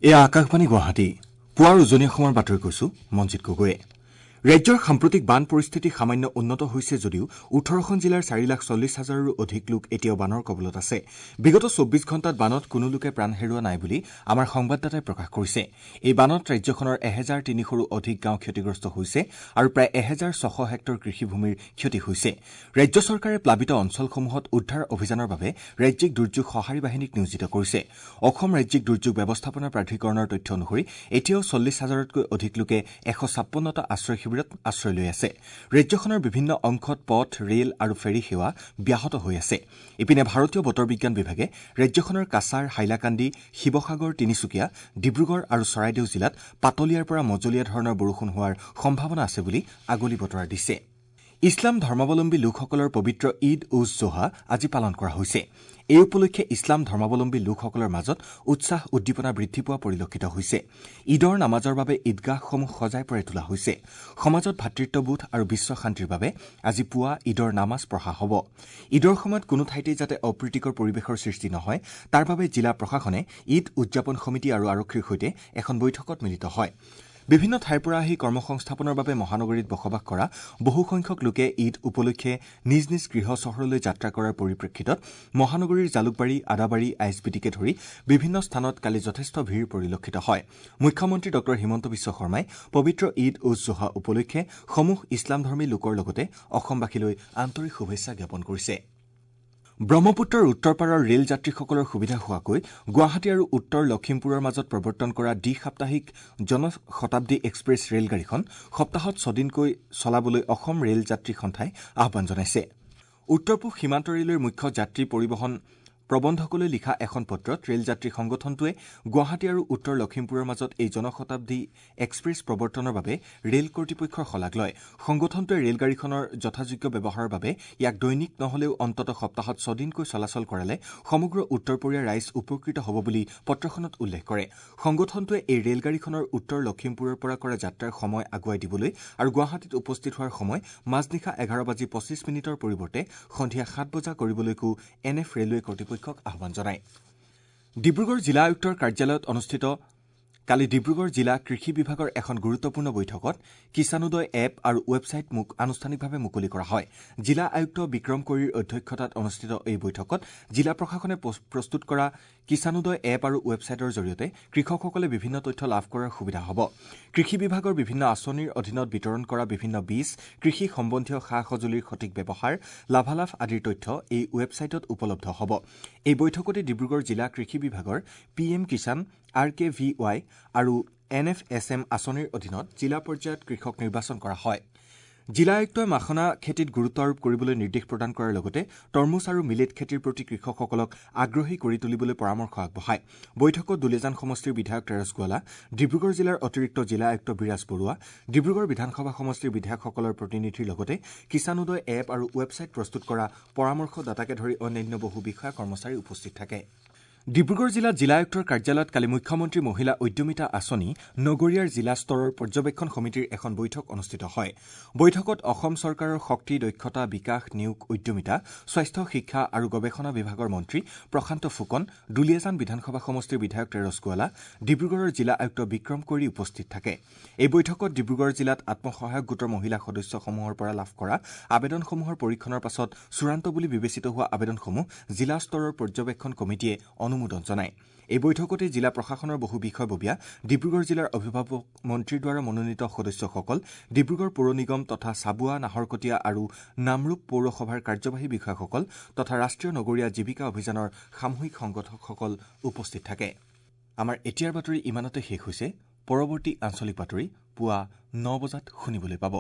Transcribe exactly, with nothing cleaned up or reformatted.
এয়া আকাশবাণী গুৱাহাটী। পুৱাৰ উজনি অসমৰ বাতৰি কৈছো মঞ্জিত গগৈয়ে। ৰাজ্যৰ সাম্প্ৰতিক বান পৰিস্থিতি সামান্য উন্নত হৈছে যদিও ওঠৰখন জিলাৰ চাৰি লাখ চল্লিছ হাজাৰৰো অধিক লোক এতিয়াও বানৰ কবলত আছে। বিগত চৌব্বিছ ঘণ্টাত বানত কোনো লোকে প্ৰাণ হেৰুওৱা নাই বুলি আমাৰ সংবাদদাতাই প্ৰকাশ কৰিছে। এই বানত ৰাজ্যখনৰ এহেজাৰ তিনিশৰো অধিক গাঁও ক্ষতিগ্ৰস্ত হৈছে আৰু প্ৰায় এহেজাৰ ছশ হেক্টৰ কৃষিভূমিৰ ক্ষতি হৈছে। ৰাজ্য চৰকাৰে প্লাবিত অঞ্চলসমূহত উদ্ধাৰ অভিযানৰ বাবে ৰাজ্যিক দুৰ্যোগ সঁহাৰি বাহিনীক নিয়োজিত কৰিছে। অসম ৰাজ্যিক দুৰ্যোগ ব্যৱস্থাপনা প্ৰাধিকৰণৰ তথ্য অনুসৰি এতিয়াও চল্লিছ হাজাৰতকৈ অধিক লোকে এশ ছাপন্নটা আশ্ৰয় শিবিৰত আশ্ৰয় লৈ আছে। ৰাজ্যখনৰ বিভিন্ন অংশত পথ, ৰেল আৰু ফেৰী সেৱা ব্যাহত হৈ আছে। ইপিনে ভাৰতীয় বতৰ বিজ্ঞান বিভাগে ৰাজ্যখনৰ কাছাৰ, হাইলাকান্দি, শিৱসাগৰ, তিনিচুকীয়া, ডিব্ৰুগড় আৰু চৰাইদেউ জিলাত পাতলীয়াৰ পৰা মজলীয়া ধৰণৰ বৰষুণ হোৱাৰ সম্ভাৱনা আছে বুলি আগলি বতৰা দিছে। ইছলাম ধৰ্মাৱলম্বী লোকসকলৰ পবিত্ৰ ঈদ উজ জোহা আজি পালন কৰা হৈছে। এই উপলক্ষে ইছলাম ধৰ্মাৱলম্বী লোকসকলৰ মাজত উৎসাহ উদ্দীপনা বৃদ্ধি পোৱা পৰিলক্ষিত হৈছে। ঈদৰ নামাজৰ বাবে ঈদগাহসমূহ সজাই পৰাই তোলা হৈছে। সমাজত ভাতৃত্ববোধ আৰু বিশ্ব শান্তিৰ বাবে আজি পুৱা ঈদৰ নামাজ পঢ়া হ'ব। ঈদৰ সময়ত কোনো ঠাইতেই যাতে অপ্ৰীতিকৰ পৰিৱেশৰ সৃষ্টি নহয় তাৰ বাবে জিলা প্ৰশাসনে ঈদ উদযাপন সমিতি আৰু আৰক্ষীৰ সৈতে এখন বৈঠকত মিলিত হয়। বিভিন্ন ঠাইৰ পৰা আহি কৰ্মসংস্থাপনৰ বাবে মহানগৰীত বসবাস কৰা বহুসংখ্যক লোকে ঈদ উপলক্ষে নিজ নিজ গৃহ চহৰলৈ যাত্ৰা কৰাৰ পৰিপ্ৰেক্ষিতত মহানগৰীৰ Jalukbari, Adabari, I S B টিকে ধৰি বিভিন্ন স্থানত কালি যথেষ্ট ভিৰ পৰিলক্ষিত হয়। মুখ্যমন্ত্ৰী ডঃ হিমন্ত বিশ্ব শৰ্মাই পবিত্ৰ ঈদ উজ জোহা উপলক্ষে সমূহ ইছলামধৰ্মী লোকৰ লগতে অসমবাসীলৈ আন্তৰিক শুভেচ্ছা জ্ঞাপন কৰিছে। ব্ৰহ্মপুত্ৰৰ উত্তৰ পাৰৰ ৰেল যাত্ৰীসকলৰ সুবিধা হোৱাকৈ গুৱাহাটী আৰু উত্তৰ লখিমপুৰৰ মাজত প্ৰৱৰ্তন কৰা দ্বি সাপ্তাহিক জনশতাব্দী এক্সপ্ৰেছ ৰেলগাড়ীখন সপ্তাহত ছদিনকৈ চলাবলৈ অসম ৰেল যাত্ৰী সন্থাই আহ্বান জনাইছে। উত্তৰ পূব সীমান্ত ৰেলৱেৰ মুখ্য যাত্ৰী পৰিবহণ প্ৰবন্ধকলৈ লিখা এখন পত্ৰত ৰেল যাত্ৰী সংগঠনটোৱে গুৱাহাটী আৰু উত্তৰ লখিমপুৰৰ মাজত এই জনশতাব্দী এক্সপ্ৰেছ প্ৰৱৰ্তনৰ বাবে ৰেল কৰ্তৃপক্ষৰ শলাগ লয়। সংগঠনটোৱে ৰেলগাড়ীখনৰ যথাযোগ্য ব্যৱহাৰৰ বাবে ইয়াক দৈনিক নহলেও অন্ততঃ সপ্তাহত ছদিনকৈ চলাচল কৰালে সমগ্ৰ উত্তৰপৰীয়া ৰাইজ উপকৃত হ'ব বুলি পত্ৰখনত উল্লেখ কৰে। সংগঠনটোৱে এই ৰেলগাড়ীখনৰ উত্তৰ লখিমপুৰৰ পৰা কৰা যাত্ৰাৰ সময় আগুৱাই দিবলৈ আৰু গুৱাহাটীত উপস্থিত হোৱাৰ সময় মাজনিশা এঘাৰ বাজি পঁচিছ মিনিটৰ পৰিৱৰ্তে সন্ধিয়া সাত বজা কৰিবলৈকো এন এফ ৰেলৱে কৰ্তৃপক্ষক আহ্বান জনায়। ডিব্ৰুগড় জিলা আয়ুক্তৰ কাৰ্যালয়ত অনুষ্ঠিত কালি ডিব্ৰুগড় জিলা কৃষি বিভাগৰ এখন গুৰুত্বপূৰ্ণ বৈঠকত কিষাণোদয় এপ আৰু ৱেবছাইট আনুষ্ঠানিকভাৱে মুকলি কৰা হয়। জিলা আয়ুক্ত বিক্ৰম কৈৰীৰ অধ্যক্ষতাত অনুষ্ঠিত এই বৈঠকত জিলা প্ৰশাসনে প্ৰস্তুত কৰা কিষাণোদয় এপ আৰু ৱেবছাইটৰ জৰিয়তে কৃষকসকলে বিভিন্ন তথ্য লাভ কৰাৰ সুবিধা হ'ব। কৃষি বিভাগৰ বিভিন্ন আঁচনিৰ অধীনত বিতৰণ কৰা বিভিন্ন বীজ, কৃষি সম্বন্ধীয় সা সঁজুলিৰ সঠিক ব্যৱহাৰ, লাভালাভ আদিৰ তথ্য এই ৱেবছাইটত উপলব্ধ হ'ব। এই বৈঠকতে ডিব্ৰুগড় জিলা কৃষি বিভাগৰ P M Kisan, R K V Y আৰু এন এফ এছ এম আঁচনিৰ অধীনত জিলা পৰ্যায়ত কৃষক নিৰ্বাচন কৰা হয়। জিলা আয়ুক্তই মাখনা খেতিত গুৰুত্ব আৰোপ কৰিবলৈ নিৰ্দেশ প্ৰদান কৰাৰ লগতে তৰমুজ আৰু মিলেট খেতিৰ প্ৰতি কৃষকসকলক আগ্ৰহী কৰি তুলিবলৈ পৰামৰ্শ আগবঢ়ায়। বৈঠকত দুলীয়াজান সমষ্টিৰ বিধায়ক তেৰছ গোৱালা, ডিব্ৰুগড় জিলাৰ অতিৰিক্ত জিলা আয়ুক্ত বিৰাজ বৰুৱা, ডিব্ৰুগড় বিধানসভা সমষ্টিৰ বিধায়কসকলৰ প্ৰতিনিধিৰ লগতে কিষাণোদয় এপ আৰু ৱেবছাইট প্ৰস্তুত কৰা পৰামৰ্শদাতাকে ধৰি অন্যান্য বহু বিষয়া কৰ্মচাৰী উপস্থিত থাকে। ডিব্ৰুগড় জিলাত জিলা আয়ুক্তৰ কাৰ্যালয়ত কালি মুখ্যমন্ত্ৰী মহিলা উদ্যমিতা আঁচনি নগৰীয়াৰ জিলা স্তৰৰ পৰ্যবেক্ষণ সমিতিৰ এখন বৈঠক অনুষ্ঠিত হয়। বৈঠকত অসম চৰকাৰৰ শক্তি, দক্ষতা বিকাশ, নিয়োগ, উদ্যমিতা, স্বাস্থ্য, শিক্ষা আৰু গৱেষণা বিভাগৰ মন্ত্ৰী প্ৰশান্ত ফুকন, দুলীয়াজান বিধানসভা সমষ্টিৰ বিধায়ক তেৰছ গোৱালা, ডিব্ৰুগড়ৰ জিলা আয়ুক্ত বিক্ৰম কৈৰী উপস্থিত থাকে। এই বৈঠকত ডিব্ৰুগড় জিলাত আত্মসহায়ক গোটৰ মহিলা সদস্যসমূহৰ পৰা লাভ কৰা আবেদনসমূহৰ পৰীক্ষণৰ পাছত চূড়ান্ত বুলি বিবেচিত হোৱা আবেদনসমূহ জিলা স্তৰৰ পৰ্যবেক্ষণ কমিটিয়ে অনুমোদন জনায়। এই বৈঠকতে জিলা প্ৰশাসনৰ বহু বিষয়ববীয়া, ডিব্ৰুগড় জিলাৰ অভিভাৱক মন্ত্ৰীৰ দ্বাৰা মনোনীত সদস্যসকল, ডিব্ৰুগড় পৌৰ নিগম তথা চাবুৱা, নাহৰকটীয়া আৰু নামৰূপ পৌৰসভাৰ কাৰ্যবাহী বিষয়াসকল তথা ৰাষ্ট্ৰীয় নগৰীয়া জীৱিকা অভিযানৰ সামূহিক সংগঠকসকল উপস্থিত থাকে। আমাৰ এতিয়াৰ বাতৰি ইমানতে শেষ হৈছে। পৰৱৰ্তী আঞ্চলিক বাতৰি পুৱা ন বজাত শুনিবলৈ পাব।